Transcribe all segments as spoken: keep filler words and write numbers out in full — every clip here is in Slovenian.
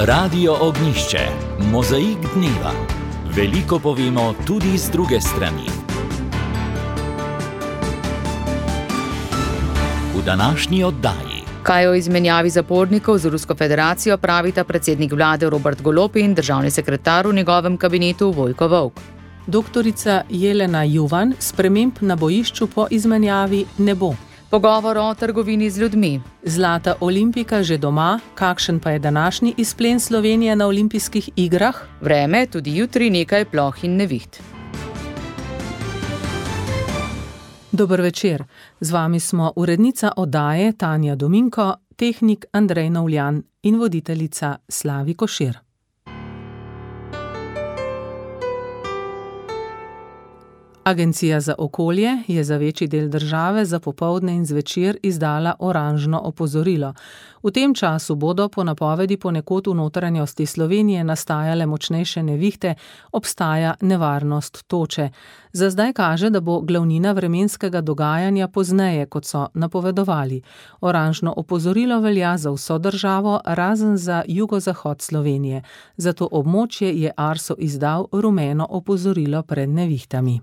Radio Ognjišče, mozaik dneva. Veliko povemo tudi z druge strani. V današnji oddaji. Kaj o izmenjavi zapornikov z Rusko federacijo pravita predsednik vlade Robert Golob in državni sekretar v njegovem kabinetu Vojko Volk. Doktorica Jelena Juvan, sprememb na bojišču po izmenjavi ne bo. Pogovor o trgovini z ljudmi. Zlata olimpika že doma, kakšen pa je današnji izplen Slovenije na olimpijskih igrah? Vreme, tudi jutri nekaj ploh in neviht. Dober večer, z vami smo urednica oddaje Tanja Dominko, tehnik Andrej Novljan in voditeljica Slavi Košir. Agencija za okolje je za večji del države za popoldne in zvečer izdala oranžno opozorilo. V tem času bodo po napovedi ponekod v notranjosti Slovenije nastajale močnejše nevihte, obstaja nevarnost toče. Za zdaj kaže, da bo glavnina vremenskega dogajanja pozneje, kot so napovedovali. Oranžno opozorilo velja za vso državo, razen za jugozahod Slovenije. Za to območje je Arso izdal rumeno opozorilo pred nevihtami.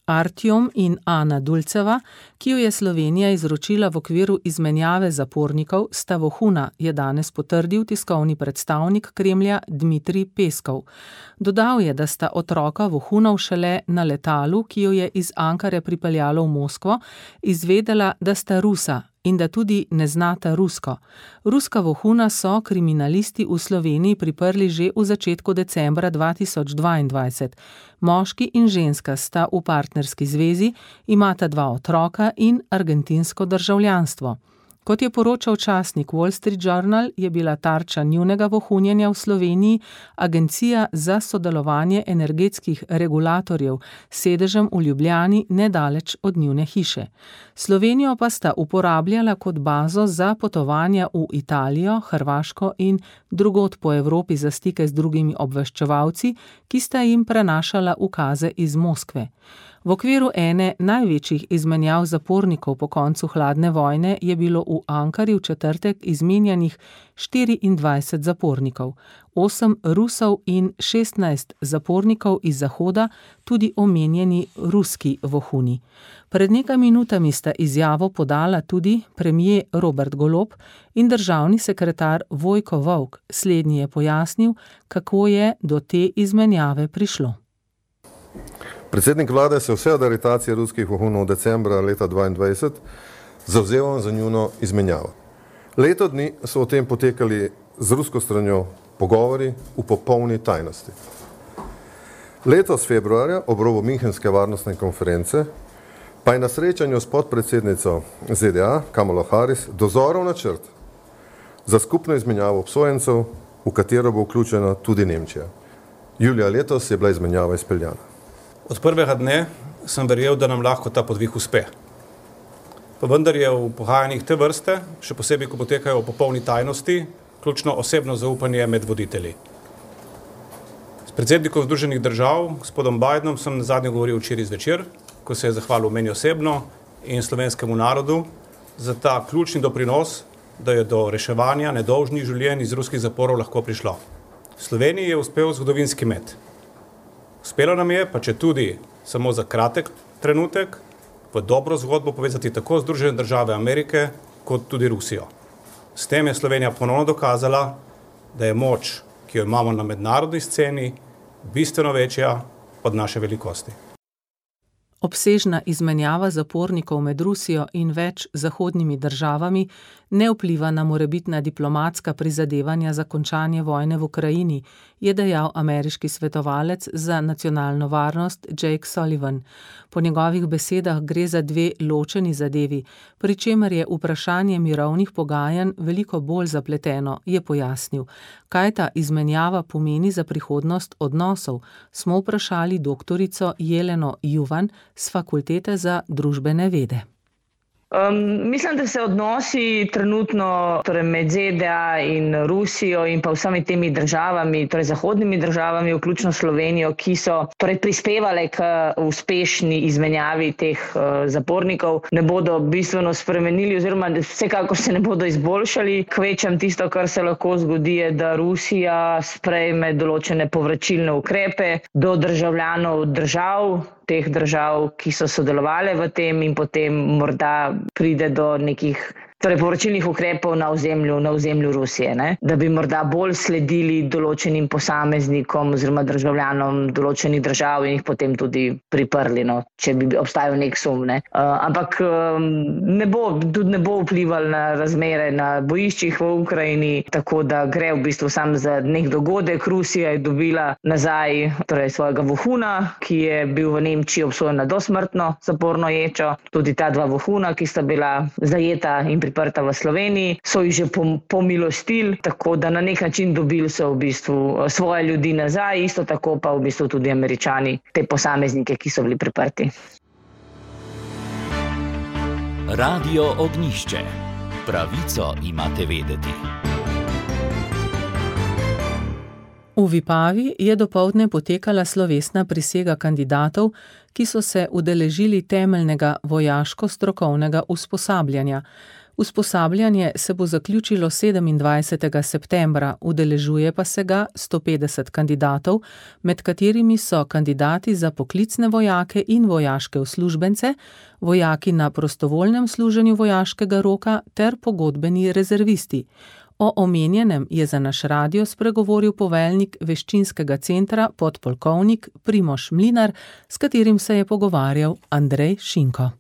Artjom in Ana Dulceva, ki jo je Slovenija izročila v okviru izmenjave zapornikov, sta vohuna, je danes potrdil tiskovni predstavnik Kremlja Dmitrij Peskov. Dodal je, da sta otroka vohunov šele na letalu, ki jo je iz Ankare pripeljalo v Moskvo, izvedela, da sta Rusa in da tudi ne znata rusko. Ruska vohuna so kriminalisti v Sloveniji priprli že v začetku decembra dva tisoč dvaindvajset. Moški in ženska sta v partnerski zvezi, imata dva otroka in argentinsko državljanstvo. Kot je poročal časnik Wall Street Journal, je bila tarča njunega vohunjenja v Sloveniji Agencija za sodelovanje energetskih regulatorjev s sedežem v Ljubljani nedaleč od njune hiše. Slovenijo pa sta uporabljala kot bazo za potovanja v Italijo, Hrvaško in drugod po Evropi za stike z drugimi obveščevalci, ki sta jim prenašala ukaze iz Moskve. V okviru ene največjih izmenjav zapornikov po koncu hladne vojne je bilo v Ankari v četrtek izmenjanih štiriindvajset zapornikov, osem Rusov in šestnajst zapornikov iz Zahoda, tudi omenjeni ruski vohuni. Pred nekaj minutami sta izjavo podala tudi premier Robert Golob in državni sekretar Vojko Volk. Slednji je pojasnil, kako je do te izmenjave prišlo. Predsednik vlade se vse od aretacije ruskih vohunov decembra leta dvaindvajset zavzeval za njuno izmenjavo. Leto dni so o tem potekali z rusko stranjo pogovori v popolni tajnosti. Letos februarja, ob robu Münchenske varnostne konference, pa je na srečanju s podpredsednico Z D A, Kamalo Harris, dozorov načrt za skupno izmenjavo obsojencev, v katero bo vključena tudi Nemčija. Julija letos je bila izmenjava izpeljana. Od prvega dne sem verjel, da nam lahko ta podvig uspe. Pa vendar je v pogajanjih te vrste, še posebej, ko potekajo v popolni tajnosti, ključno osebno zaupanje med voditelji. S predsednikom Združenih držav, gospodom Bidenom, sem nazadnje govoril včeraj zvečer, ko se je zahvalil meni osebno in slovenskemu narodu za ta ključni doprinos, da je do reševanja nedolžnih življenj iz ruskih zaporov lahko prišlo. Sloveniji je uspel zgodovinski met. Uspelo nam je, pa če tudi samo za kratek trenutek, v dobro zgodbo povezati tako Združene države Amerike, kot tudi Rusijo. S tem je Slovenija ponovno dokazala, da je moč, ki jo imamo na mednarodni sceni, bistveno večja od naše velikosti. Obsežna izmenjava zapornikov med Rusijo in več zahodnimi državami ne vpliva na morebitna diplomatska prizadevanja za končanje vojne v Ukrajini, je dejal ameriški svetovalec za nacionalno varnost Jake Sullivan. Po njegovih besedah gre za dve ločeni zadevi, pri čemer je vprašanje mirovnih pogajanj veliko bolj zapleteno, je pojasnil. Kaj ta izmenjava pomeni za prihodnost odnosov, smo vprašali doktorico Jeleno Juvan s Fakultete za družbene vede. Um, mislim, da se odnosi trenutno torej med Z D A in Rusijo in pa vsemi temi državami, torej zahodnimi državami, vključno Slovenijo, ki so torej prispevale k uspešni izmenjavi teh uh, zapornikov, ne bodo bistveno spremenili oziroma vsekakor se ne bodo izboljšali. Kvečem tisto, kar se lahko zgodi, je, da Rusija sprejme določene povračilne ukrepe do državljanov držav, teh držav, ki so sodelovali v tem in potem morda pride do nekih torej povračilnih ukrepov na ozemlju, na ozemlju Rusije, ne? Da bi morda bolj sledili določenim posameznikom oziroma državljanom določenih držav in jih potem tudi priprli, no, če bi obstajal nek sum. Ne? Uh, ampak um, ne bo, tudi ne bo vplival na razmere na bojiščih v Ukrajini, tako da gre v bistvu sam za nek dogodek. Rusija je dobila nazaj torej svojega vohuna, ki je bil v Nemčiji obsojen na dosmrtno zaporno ječo. Tudi ta dva vohuna, ki sta bila zajeta in priprta v Sloveniji, so jih že pomilostili, tako da na nek način dobili so v bistvu svoje ljudi nazaj, isto tako pa v bistvu tudi Američani, te posameznike, ki so bili priprti. Radio Ognjišče. Pravico imate vedeti. V Vipavi je dopoldne potekala slovesna prisega kandidatov, ki so se udeležili temeljnega vojaško-strokovnega usposabljanja. Usposabljanje se bo zaključilo sedemindvajsetega septembra, udeležuje pa se ga sto petdeset kandidatov, med katerimi so kandidati za poklicne vojake in vojaške uslužbence, vojaki na prostovoljnem služenju vojaškega roka ter pogodbeni rezervisti. O omenjenem je za naš radio spregovoril poveljnik veščinskega centra podpolkovnik Primož Mlinar, s katerim se je pogovarjal Andrej Šinko.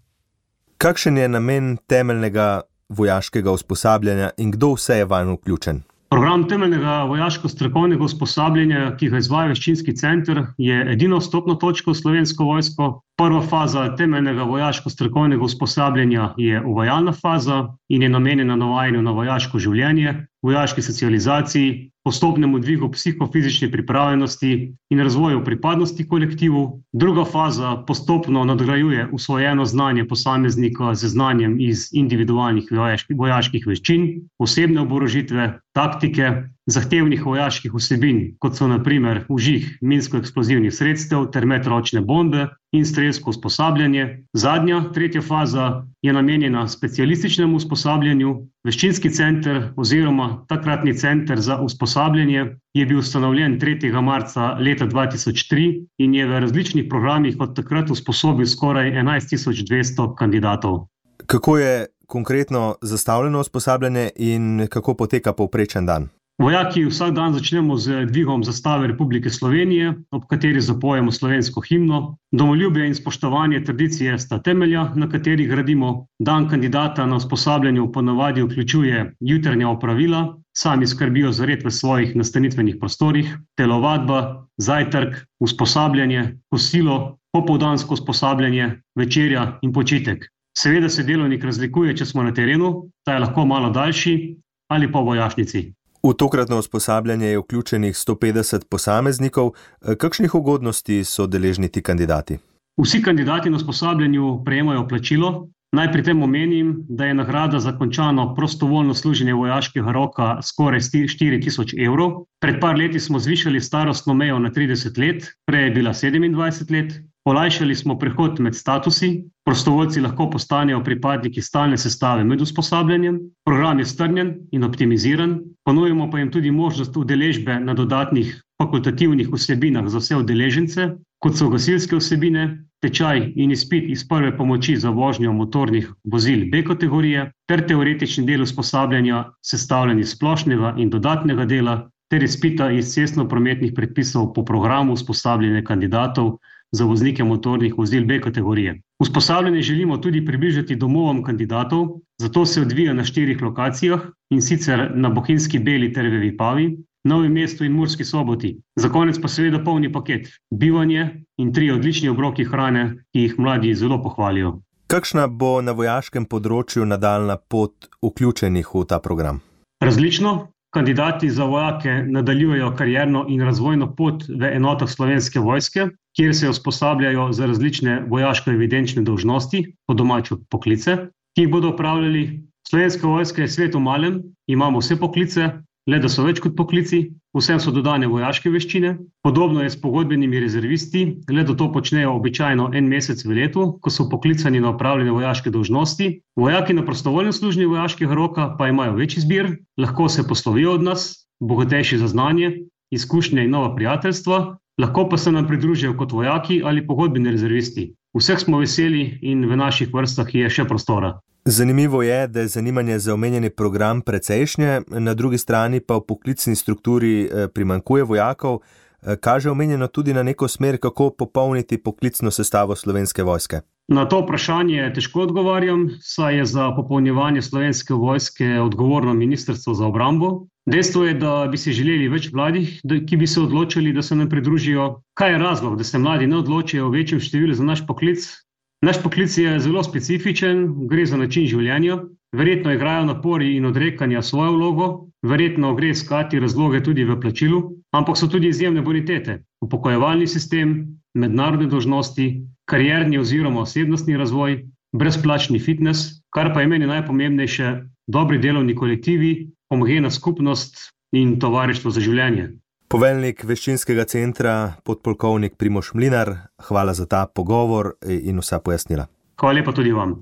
Kakšen je namen temeljnega vojaškega usposabljanja in kdo vse je vanj vključen? Program temeljnega vojaško-strokovnega usposabljanja, ki ga izvaja veščinski center, je edino vstopno točko v Slovensko vojsko. Prva faza temeljnega vojaško-strokovnega usposabljanja je uvajalna faza in je namenjena navajanju na vojaško življenje, vojaški socializaciji, postopnemu dvigu psihofizične pripravljenosti in razvoju pripadnosti kolektivu. Druga faza postopno nadgrajuje usvojeno znanje posameznika z znanjem iz individualnih vojaških veščin, osebne oborožitve, taktike, zahtevnih vojaških vsebin, kot so na primer vžig minsko-eksplozivnih sredstev ter medročne bombe in strelsko usposabljanje. Zadnja, tretja faza je namenjena specialističnemu usposabljanju. Veščinski center oziroma takratni center za usposabljanje je bil ustanovljen tretjega marca leta dva tisoč tri in je v različnih programih od takrat usposobil skoraj enajst tisoč dvesto kandidatov. Kako je konkretno zastavljeno usposabljanje in kako poteka povprečen dan? Vojaki vsak dan začnemo z dvigom zastave Republike Slovenije, ob kateri zapojemo slovensko himno. Domoljubje in spoštovanje tradicije sta temelja, na katerih gradimo. Dan kandidata na usposabljanju ponavadi vključuje jutranja opravila, sami skrbijo za red v svojih nastanitvenih prostorih, telovadba, zajtrk, usposabljanje, kosilo, popoldansko usposabljanje, večerja in počitek. Seveda se delovnik razlikuje, če smo na terenu, ta je lahko malo daljši ali pa v vojašnici. V tokratno usposabljanje je vključenih sto petdeset posameznikov. Kakšnih ugodnosti so deležni ti kandidati? Vsi kandidati na usposabljanju prejemajo plačilo. Naj pri tem omenim, da je nagrada za končano prostovoljno služenje vojaškega roka skoraj štiri tisoč evrov. Pred par leti smo zvišali starostno mejo na trideset let, prej je bila sedemindvajset let. Olajšali smo prehod med statusi, prostovoljci lahko postanejo pripadniki stalne sestave med usposabljanjem, program je strnjen in optimiziran, ponujemo pa jim tudi možnost udeležbe na dodatnih fakultativnih vsebinah za vse udeležence, kot so gasilske vsebine, tečaj in izpit iz prve pomoči za vožnjo motornih vozil B kategorije, ter teoretični del usposabljanja sestavljen iz splošnega in dodatnega dela, ter izpita iz cestno-prometnih predpisov po programu usposabljanja kandidatov za voznike motornih vozil B kategorije. Usposabljanje želimo tudi približati domovom kandidatov, zato se odvija na štirih lokacijah, in sicer na Bohinjski Beli ter v Vipavi, Novem mestu in Murski Soboti. Za konec pa seveda polni paket, bivanje in tri odlični obroki hrane, ki jih mladi zelo pohvalijo. Kakšna bo na vojaškem področju nadaljna pot vključenih v ta program? Različno. Kandidati za vojake nadaljujejo karierno in razvojno pot v enotah Slovenske vojske, kjer se usposabljajo za različne vojaško-evidenčne dolžnosti, po domače poklice. ki jih bodo opravljali. Slovenska vojska je svet v malem, imamo vse poklice, le da so več kot poklici, vsem so dodane vojaške veščine. Podobno je s pogodbenimi rezervisti, le da to počnejo običajno en mesec v letu, ko so poklicani na opravljene vojaške dolžnosti. Vojaki na prostovoljnem služenju vojaškega roka pa imajo več izbir, lahko se poslovijo od nas, bogatejši za znanje, izkušnje in nova prijateljstva, lahko pa se nam pridružijo kot vojaki ali pogodbeni rezervisti. Vseh smo veseli in v naših vrstah je še prostora. Zanimivo je, da je zanimanje za omenjeni program precejšnje, na drugi strani pa v poklicni strukturi primanjkuje vojakov. Kaže omenjeno tudi na neko smer, kako popolniti poklicno sestavo Slovenske vojske? Na to vprašanje težko odgovarjam, saj je za popolnjevanje Slovenske vojske odgovorno Ministrstvo za obrambo. Dejstvo je, da bi si želeli več mladih, ki bi se odločili, da se nam pridružijo. Kaj je razlog, da se mladi ne odločijo o večjem številu za naš poklic? Naš poklic je zelo specifičen, gre za način življenja. Verjetno igrajo napori in odrekanja svojo vlogo, verjetno gre iskati razloge tudi v plačilu, ampak so tudi izjemne bonitete. Upokojevalni sistem, mednarodne dolžnosti, karierni oziroma osebnostni razvoj, brezplačni fitness, kar pa je meni najpomembnejše, dobri delovni kolektivi, homogena skupnost in tovarištvo za življenje. Poveljnik Veščinskega centra, podpolkovnik Primož Mlinar, hvala za ta pogovor in vsa pojasnila. Hvala lepa tudi vam.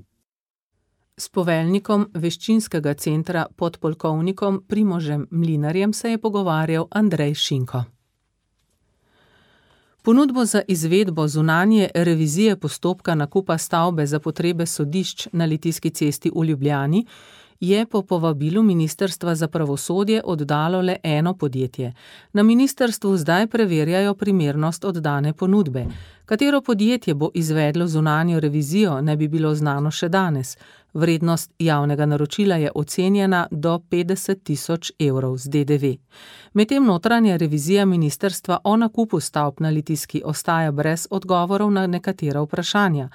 S poveljnikom Veščinskega centra, podpolkovnikom Primožem Mlinarjem, se je pogovarjal Andrej Šinko. Ponudbo za izvedbo zunanje revizije postopka nakupa stavbe za potrebe sodišč na Litijski cesti v Ljubljani je po povabilu Ministrstva za pravosodje oddalo le eno podjetje. Na ministrstvu zdaj preverjajo primernost oddane ponudbe. Katero podjetje bo izvedlo zunanjo revizijo, ne bi bilo znano še danes. Vrednost javnega naročila je ocenjena do petdeset tisoč evrov z D D V. Medtem notranja revizija ministrstva o nakupu stavb na Litijski ostaja brez odgovorov na nekatera vprašanja.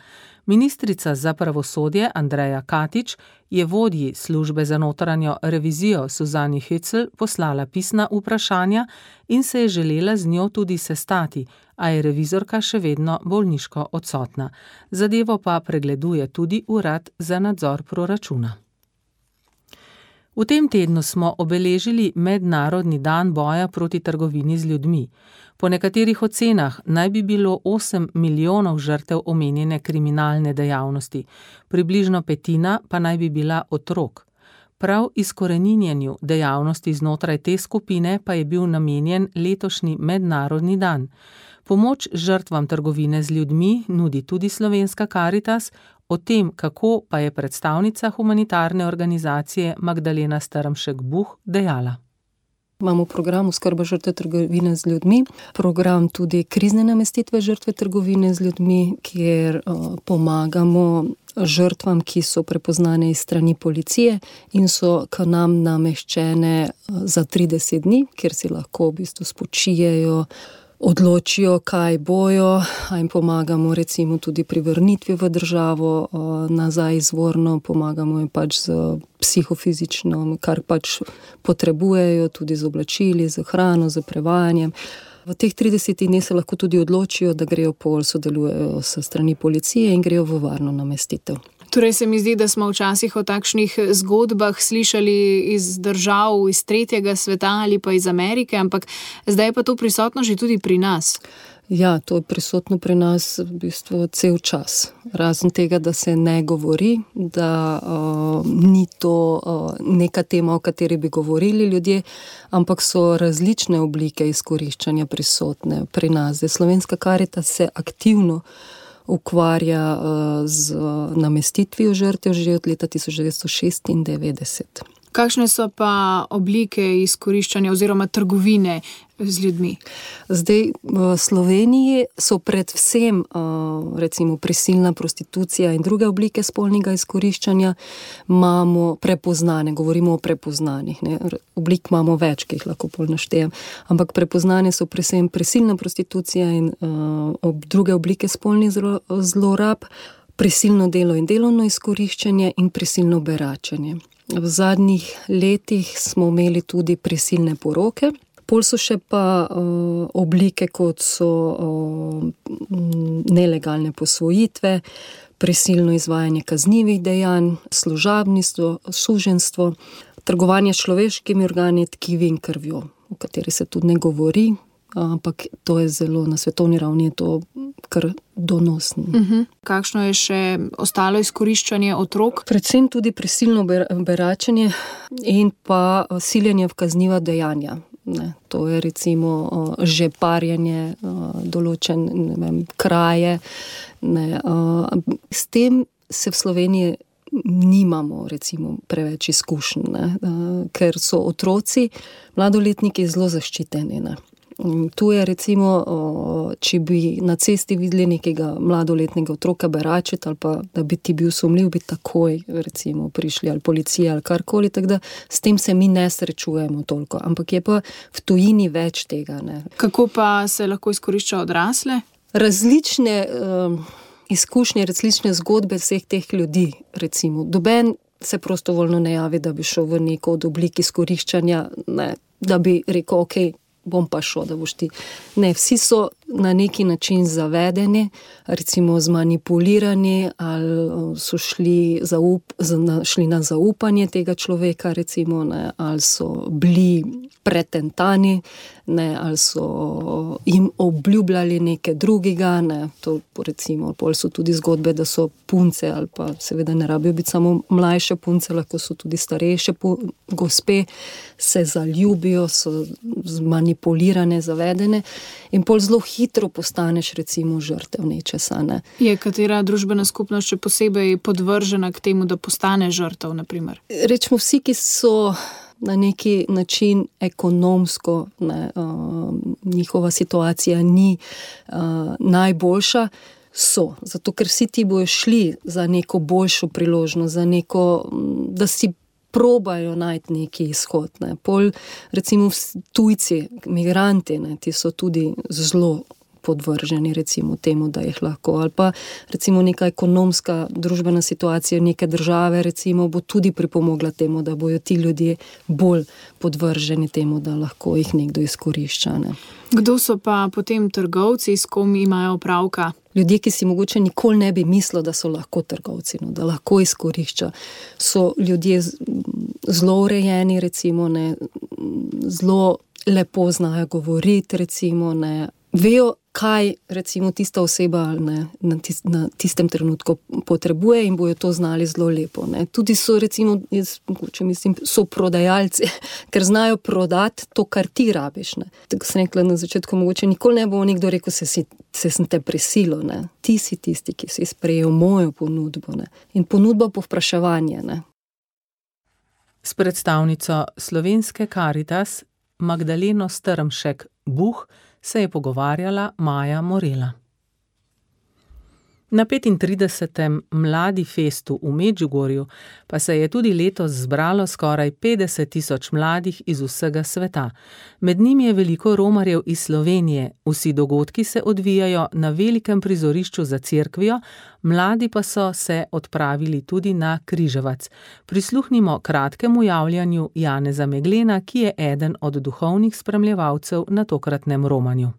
Ministrica za pravosodje Andreja Katič je vodji službe za notranjo revizijo Suzani Hecl poslala pisna vprašanja in se je želela z njo tudi sestati, a je revizorka še vedno bolniško odsotna. Zadevo pa pregleduje tudi Urad za nadzor proračuna. V tem tednu smo obeležili Mednarodni dan boja proti trgovini z ljudmi. Po nekaterih ocenah naj bi bilo osem milijonov žrtev omenjene kriminalne dejavnosti, približno petina pa naj bi bila otrok. Prav izkoreninjenju dejavnosti znotraj te skupine pa je bil namenjen letošnji Mednarodni dan. Pomoč žrtvam trgovine z ljudmi nudi tudi Slovenska Karitas, o tem, kako pa je predstavnica humanitarne organizacije Magdalena Strmšek-Buh dejala. Imamo program oskrba žrtve trgovine z ljudmi, program tudi krizne namestitve žrtve trgovine z ljudmi, kjer uh, pomagamo žrtvam, ki so prepoznane iz strani policije in so k nam nameščene uh, za trideset dni, kjer si lahko v bistvu spočijejo, odločijo, kaj bojo, a jim pomagamo recimo tudi pri vrnitvi v državo nazaj izvorno, pomagamo jim pač z psihofizično, kar pač potrebujejo, tudi z oblačili, z hrano, z prevajanjem. V teh tridesetih dneh se lahko tudi odločijo, da grejo pol, sodelujejo s strani policije in grejo v varno namestitev. Torej se mi zdi, da smo včasih o takšnih zgodbah slišali iz držav, iz tretjega sveta ali pa iz Amerike, ampak zdaj je pa to prisotno že tudi pri nas. Ja, to je prisotno pri nas v bistvu cel čas. Razen tega, da se ne govori, da uh, ni to uh, neka tema, o kateri bi govorili ljudje, ampak so različne oblike izkoriščanja prisotne pri nas. Slovenska Karitas se aktivno ukvarja z namestitvijo žrtev že od leta tisoč devetsto šestindevetdeset. Kakšne so pa oblike izkoriščanja oziroma trgovine z ljudmi? Zdaj, v Sloveniji so predvsem recimo prisilna prostitucija in druge oblike spolnega izkoriščanja imamo prepoznane, govorimo o prepoznanih, ne? Oblik imamo več, ki jih lahko pol naštejem, ampak prepoznane so predvsem prisilna prostitucija in uh, druge oblike spolnih zlorab, prisilno delo in delovno izkoriščanje in prisilno beračenje. V zadnjih letih smo imeli tudi prisilne poroke. Pol so še pa uh, oblike, kot so uh, nelegalne posvojitve, prisilno izvajanje kaznivih dejanj, služabništvo, suženjstvo, trgovanje s človeškimi organi, tkivi in krvjo, o kateri se tudi ne govori, ampak to je zelo, na svetovni ravni je to kar donosno. Uh-huh. Kakšno je še ostalo izkoriščanje otrok? Predvsem tudi prisilno beračenje in pa siljenje v kazniva dejanja. Ne, to je recimo že parjanje, določen, ne vem, kraje. Ne, s tem se v Sloveniji nimamo recimo preveč izkušenj, ne, ker so otroci, mladoletniki zelo zaščiteni. Ne. Tu je recimo, če bi na cesti videli nekega mladoletnega otroka beračiti ali pa da bi ti bil sumljiv, bi takoj recimo prišli ali policija ali karkoli, tako da s tem se mi ne srečujemo toliko, ampak je pa v tujini več tega. Ne. Kako pa se lahko izkorišča odrasle? Različne um, izkušnje, različne zgodbe vseh teh ljudi, recimo. Doben se prostovoljno ne javi, da bi šel v neko od oblik izkoriščanja, ne, da bi rekel, ok, bom pa šel, da boš ti. Ne, vsi so na neki način zavedeni, recimo zmanipulirani ali so šli, zaup, šli na zaupanje tega človeka, recimo, ne, ali so bili pretentani, ne, ali so jim obljubljali nekaj drugega, ne, to recimo, pol so tudi zgodbe, da so punce, ali pa seveda ne rabijo biti samo mlajše punce, lahko so tudi starejše gospe, se zaljubijo, so zmanipulirane, zavedene in pol zelo hitro postaneš recimo žrtev nečesa. Ne. Je katera družbena skupnost še posebej podvržena k temu, da postane žrtev, na primer? Rečemo vsi, ki so na neki način ekonomsko, ne, uh, njihova situacija ni uh, najboljša, so. Zato, ker vsi ti bojo šli za neko boljšo priložnost, za neko, da si probajo najti neki izhod. Ne. Pol, recimo tujci, migranti, ne, ti so tudi zelo podvrženi recimo temu, da jih lahko, ali pa recimo neka ekonomska družbena situacija neke države recimo bo tudi pripomogla temu, da bojo ti ljudje bolj podvrženi temu, da lahko jih nekdo izkorišča. Ne. Kdo so pa potem trgovci, s kom imajo opravka? Ljudje, ki si mogoče nikoli ne bi mislili, da so lahko trgovci, no, da lahko izkorišča. So ljudje zelo urejeni, recimo, ne, zelo lepo znajo govoriti, recimo, ne, vejo, kaj recimo tista oseba ne, na, tist, na tistem trenutku potrebuje in bojo to znali zelo lepo. Ne. Tudi so recimo, jaz mogoče mislim, so prodajalci, ker znajo prodati to, kar ti rabiš. Ne. Tako sem rekla na začetku, mogoče nikoli ne bo nekdo rekel, se, si, se sem te prisilo. Ne. Ti si tisti, ki si sprejel mojo ponudbo. Ne. In ponudba povpraševanje. Ne. S predstavnico Slovenske Karitas Magdaleno Strmšek Buh se je pogovarjala Maja Morela. Na petintridesetem Mladi festu v Medžugorju pa se je tudi letos zbralo skoraj petdeset tisoč mladih iz vsega sveta. Med njimi je veliko romarjev iz Slovenije. Vsi dogodki se odvijajo na velikem prizorišču za cerkvijo, mladi pa so se odpravili tudi na Križevac. Prisluhnimo kratkemu javljanju Janeza Meglena, ki je eden od duhovnih spremljevalcev na tokratnem romanju.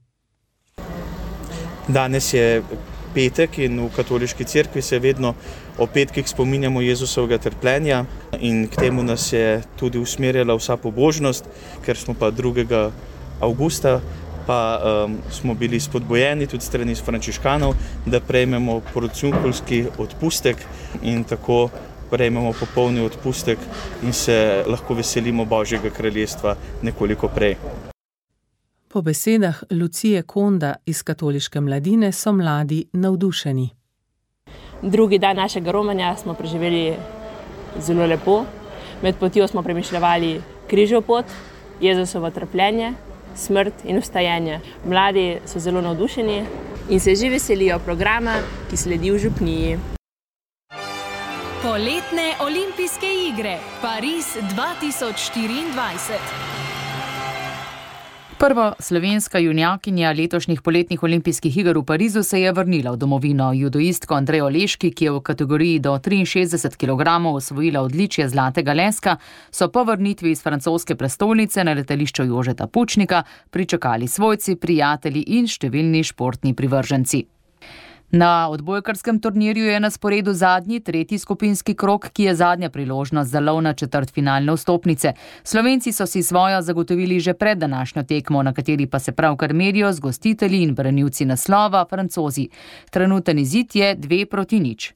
Danes je petek in v katoliški cerkvi se vedno o petkih spominjamo Jezusovega trpljenja in k temu nas je tudi usmerjala vsa pobožnost, ker smo pa drugega avgusta pa um, smo bili spodbojeni tudi strani frančiškanov, da prejmemo porociunkulski odpustek in tako prejmemo popolni odpustek in se lahko veselimo Božjega kraljestva nekoliko prej. Po besedah Lucije Konda iz Katoliške mladine so mladi navdušeni. Drugi dan našega romanja smo preživeli zelo lepo. Med potjo smo premišljevali križev pot, Jezusovo trpljenje, smrt in vstajenje. Mladi so zelo navdušeni in se že veselijo programa, ki sledi v župniji. Poletne olimpijske igre Pariz dva tisoč štiriindvajset. Prva slovenska junjakinja letošnjih poletnih olimpijskih iger v Parizu se je vrnila v domovino. Judoistko Andrejo Leški, ki je v kategoriji do triinšestdeset kilogramov osvojila odličje zlatega leska, so po vrnitvi iz francoske prestolnice na letališču Jožeta Pučnika pričakali svojci, prijatelji in številni športni privrženci. Na odbojkarskem turnirju je na sporedu zadnji, tretji skupinski krog, ki je zadnja priložnost za lov na četrtfinalne vstopnice. Slovenci so si svojo zagotovili že pred današnjo tekmo, na kateri pa se pravkar merijo z gostitelji in branilci naslova, Francozi. Trenuten izid je dve proti nič.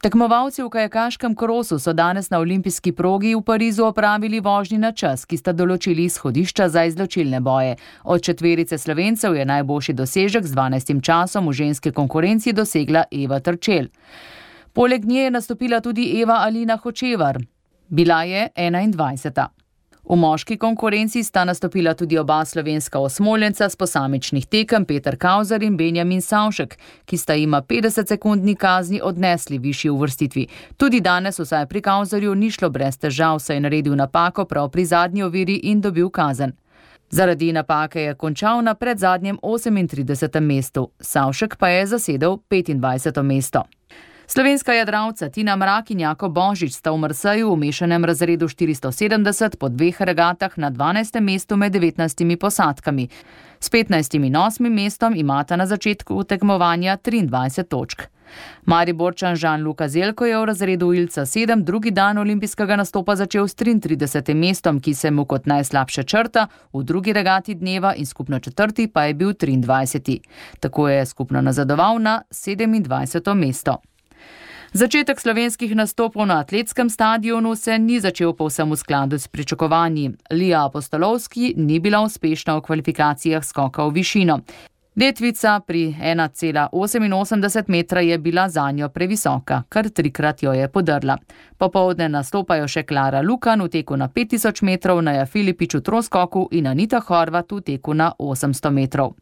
Tekmovalci v kajakaškem krosu so danes na olimpijski progi v Parizu opravili vožnji na čas, ki sta določili izhodišča za izločilne boje. Od četverice Slovencev je najboljši dosežek z dvanajstim časom v ženski konkurenci dosegla Eva Trčel. Poleg nje je nastopila tudi Eva Alina Hočevar. Bila je enaindvajseta. V moški konkurenci sta nastopila tudi oba slovenska osmoljenca s posamičnih tekem Peter Kauzar in Benjamin Savšek, ki sta jima petdeset sekundni kazni odnesli višji uvrstitvi. Tudi danes vsaj pri Kauzarju ni šlo brez težav, saj je naredil napako prav pri zadnji oviri in dobil kazen. Zaradi napake je končal na predzadnjem osemintridesetem mestu, Savšek pa je zasedel petindvajseto mesto. Slovenska jadralca Tina Mrak in Jako Božič sta v Marseju v mešanem razredu štiristo sedemdeset po dveh regatah na dvanajstem mestu med devetnajstimi posadkami. S petnajstim in osmim mestom imata na začetku tekmovanja triindvajset točk. Mariborčan Žan-Luka Zelko je v razredu Ilca sedem drugi dan olimpijskega nastopa začel s triintridesetim mestom, ki se mu kot najslabše črta, v drugi regati dneva in skupno četrti pa je bil triindvajseti. Tako je skupno nazadoval na sedemindvajseto mesto. Začetek slovenskih nastopov na atletskem stadionu se ni začel povsem v skladu s pričakovanji. Lija Apostolovski ni bila uspešna v kvalifikacijah skoka v višino. Letvica pri ena cela oseminosemdeset metra je bila zanjo previsoka, kar trikrat jo je podrla. Popoldne nastopajo še Klara Lukan v teku na pet tisoč metrov, Naja Filipič v troskoku in Anita Horvat v teku na osemsto metrov.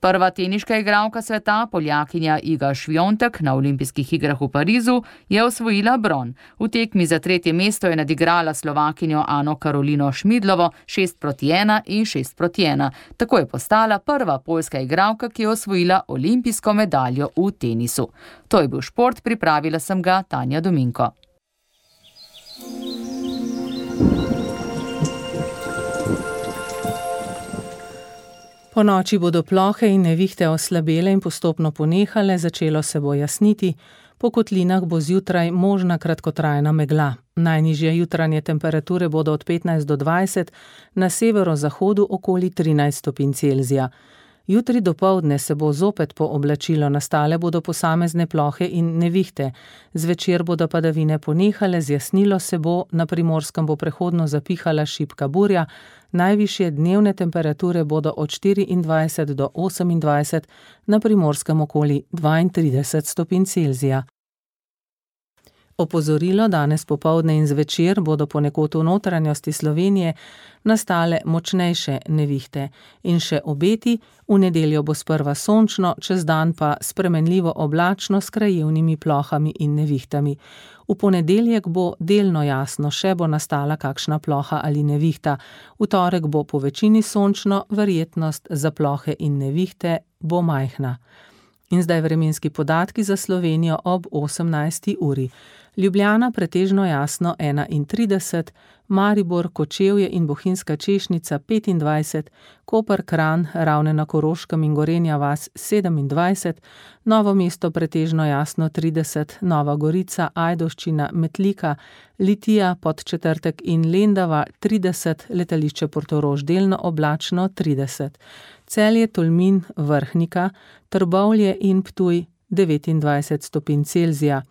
Prva teniška igralka sveta, Poljakinja Iga Šviontek, na olimpijskih igrah v Parizu je osvojila bron. V tekmi za tretje mesto je nadigrala Slovakinjo Ano Karolino Šmidlovo šest proti ena in šest proti ena. Tako je postala prva poljska igralka, ki je osvojila olimpijsko medaljo v tenisu. To je bil šport, pripravila sem ga Tanja Dominko. Po noči bodo plohe in nevihte oslabele in postopno ponehale, začelo se bo jasniti, po kotlinah bo zjutraj možna kratkotrajna megla. Najnižje jutranje temperature bodo od petnajst do dvajset, na severozahodu okoli trinajst stopinj Celzija. Jutri dopoldne se bo zopet pooblačilo, nastale bodo posamezne plohe in nevihte. Zvečer bodo padavine ponehale, zjasnilo se bo, na Primorskem bo prehodno zapihala šibka burja, najvišje dnevne temperature bodo od štiriindvajset do osemindvajset, na Primorskem okoli dvaintrideset stopinj Celzija. Opozorilo, danes popoldne in zvečer bodo ponekod v notranjosti Slovenije nastale močnejše nevihte in še obeti, v nedeljo bo sprva sončno, čez dan pa spremenljivo oblačno s krajevnimi plohami in nevihtami. V ponedeljek bo delno jasno, še bo nastala kakšna ploha ali nevihta. V torek bo po večini sončno, verjetnost za plohe in nevihte bo majhna. In zdaj vremenski podatki za Slovenijo ob osemnajsti uri. Ljubljana pretežno jasno enaintrideset, Maribor, Kočevje in Bohinjska Češnica petindvajset, Koper, Kranj, Ravne na Koroškem in Gorenja vas sedemindvajset, Novo mesto pretežno jasno trideset, Nova Gorica, Ajdovščina, Metlika, Litija, Podčetrtek in Lendava trideset, letališče Portorož delno oblačno trideset, Celje, Tolmin, Vrhnika, Trbovlje in Ptuj devetindvajset stopinj Celzija.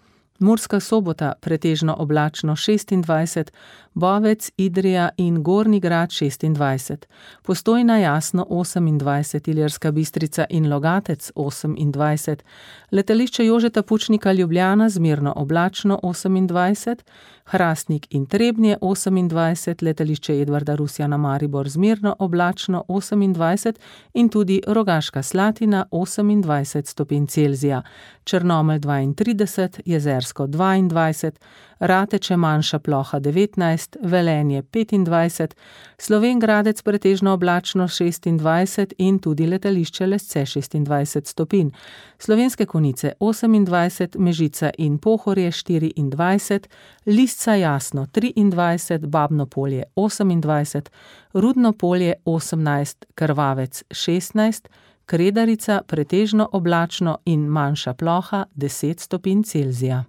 Murska Sobota pretežno oblačno šestindvajset, Bovec, Idrija in Gornji Grad šestindvajset, Postojna jasno osemindvajset, Ilirska Bistrica in Logatec osemindvajset, letališče Jožeta Pučnika Ljubljana zmerno oblačno osemindvajset, Hrastnik in Trebnje osemindvajset, letališče Edvarda Rusjana Maribor zmerno oblačno osemindvajset in tudi Rogaška Slatina osemindvajset stopinj Celzija, Črnomelj dvaintrideset, Jezersko dvaindvajset, Rateče manjša ploha devetnajst, Velenje petindvajset, Slovenj Gradec pretežno oblačno šestindvajset in tudi letališče Lesce šestindvajset stopinj, Slovenske Konjice osemindvajset, Mežica in Pohorje štiriindvajset, Lisca jasno triindvajset, Babno Polje osemindvajset, Rudno Polje osemnajst, Krvavec šestnajst, Kredarica pretežno oblačno in manjša ploha deset stopinj Celzija.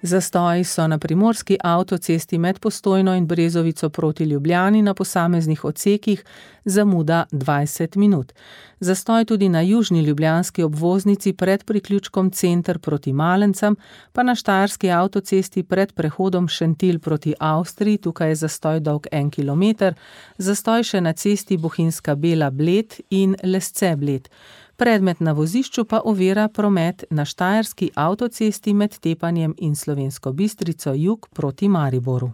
Zastoji so na primorski avtocesti med Postojno in Brezovico proti Ljubljani na posameznih odsekih, zamuda dvajset minut. Zastoj tudi na južni ljubljanski obvoznici pred priključkom Center proti Malencam, pa na štajerski avtocesti pred prehodom Šentilj proti Avstriji, tukaj je zastoj dolg en kilometer, zastoj še na cesti Bohinjska Bela Bled in Lesce Bled. Predmet na vozišču pa ovira promet na štajerski avtocesti med Tepanjem in Slovensko Bistrico jug proti Mariboru.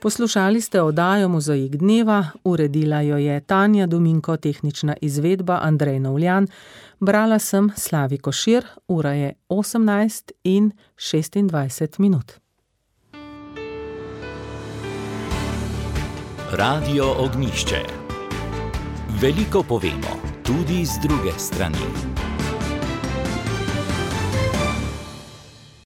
Poslušali ste oddajo Mozaik dneva, uredila jo je Tanja Dominko, tehnična izvedba Andrej Novljan, brala sem Slavi Košir, ura je osemnajst in šestindvajset minut. Radio Ognjišče. Veliko povemo, tudi z druge strani.